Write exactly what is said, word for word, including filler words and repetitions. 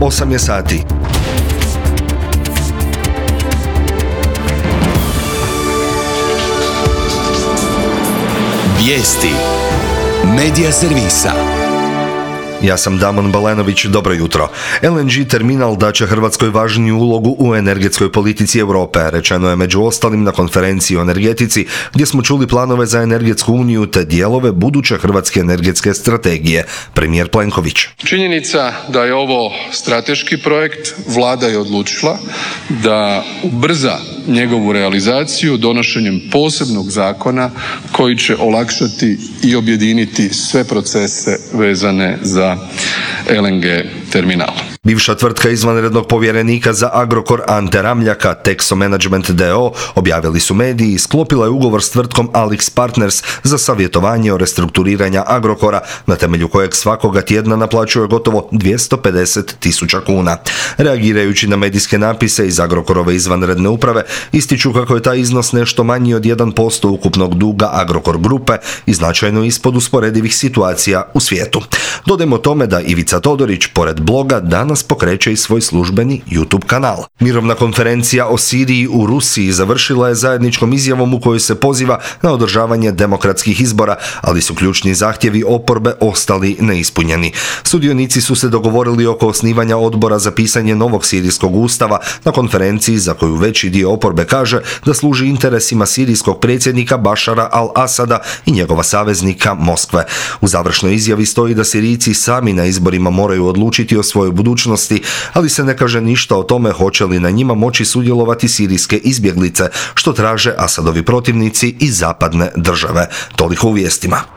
osam je sati. Vijesti Medija servisa. Ja sam Damon Balenović, dobro jutro. el en ge terminal daće Hrvatskoj važniju ulogu u energetskoj politici Europe, rečeno je među ostalim na konferenciji o energetici, gdje smo čuli planove za energetsku uniju te dijelove buduće hrvatske energetske strategije. Premijer Plenković. Činjenica da je ovo strateški projekt, vlada je odlučila da ubrza njegovu realizaciju donošenjem posebnog zakona koji će olakšati i objediniti sve procese vezane za el en ge terminal. Bivša tvrtka izvanrednog povjerenika za Agrokor Ante Ramljaka, Texo Management d o o, objavili su mediji, sklopila je ugovor s tvrtkom Alix Partners za savjetovanje o restrukturiranju Agrokora, na temelju kojeg svakoga tjedna naplaćuje gotovo dvjesto pedeset tisuća kuna. Reagirajući na medijske napise iz Agrokorove izvanredne uprave, ističu kako je taj iznos nešto manji od jedan posto ukupnog duga Agrokor grupe i značajno ispod usporedivih situacija u svijetu. Dodajmo tome da Ivica Todorić, pored bloga, danas pokreće i svoj službeni YouTube kanal. Mirovna konferencija o Siriji u Rusiji završila je zajedničkom izjavom u kojoj se poziva na održavanje demokratskih izbora, ali su ključni zahtjevi oporbe ostali neispunjeni. Sudionici su se dogovorili oko osnivanja odbora za pisanje novog sirijskog ustava na konferenciji za koju veći dio oporbe kaže da služi interesima sirijskog predsjednika Bašara al-Asada i njegova saveznika Moskve. U završnoj izjavi stoji da Sirijci sami na izborima moraju odlučiti o svojoj budućnosti, ali se ne kaže ništa o tome hoće li na njima moći sudjelovati sirijske izbjeglice, što traže Asadovi protivnici i zapadne države. Toliko u vijestima.